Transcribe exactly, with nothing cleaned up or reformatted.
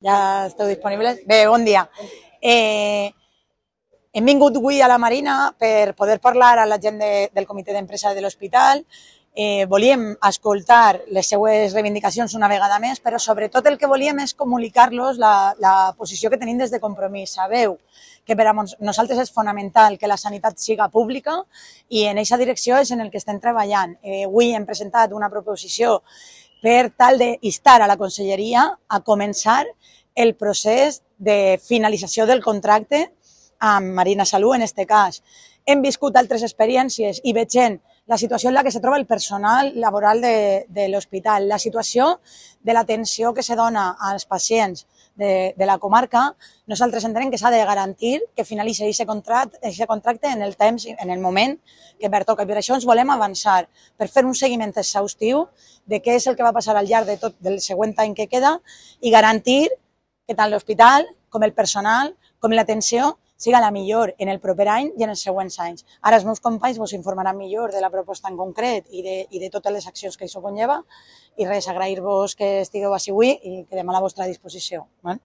Ja esteu disponibles? Bé, bon dia. Eh, hem vingut avui a la Marina per poder parlar a la gent de, del comitè d'empresa de l'hospital. Eh, volíem escoltar les seues reivindicacions una vegada més, però sobretot el que volíem és comunicar-los la, la posició que tenim des de Compromís. Sabeu que per a nosaltres és fonamental que la sanitat siga pública i en aquesta direcció és en el que estem treballant. Eh, avui hem presentat una proposició per tal d'instar a la conselleria a començar el procés de finalització del contracte amb Marina Salut, en aquest cas. Hem viscut altres experiències i veient la situació en la que se troba el personal laboral de, de l'hospital, la situació de l'atenció que se dona als pacients de, de la comarca, nosaltres entenem que s'ha de garantir que finalitzi aquest contracte, aquest contracte en el temps, en el moment que pertoca. Per això ens volem avançar, per fer un seguiment exhaustiu de què és el que va passar al llarg de tot del següent any que queda i garantir que tant l'hospital com el personal com l'atenció siga la millor en el proper any i en els següents anys. Ara els meus companys vos informaran millor de la proposta en concret i de, i de totes les accions que això conlleva i res, agrair-vos que estigueu així avui i quedem a la vostra disposició. Bueno.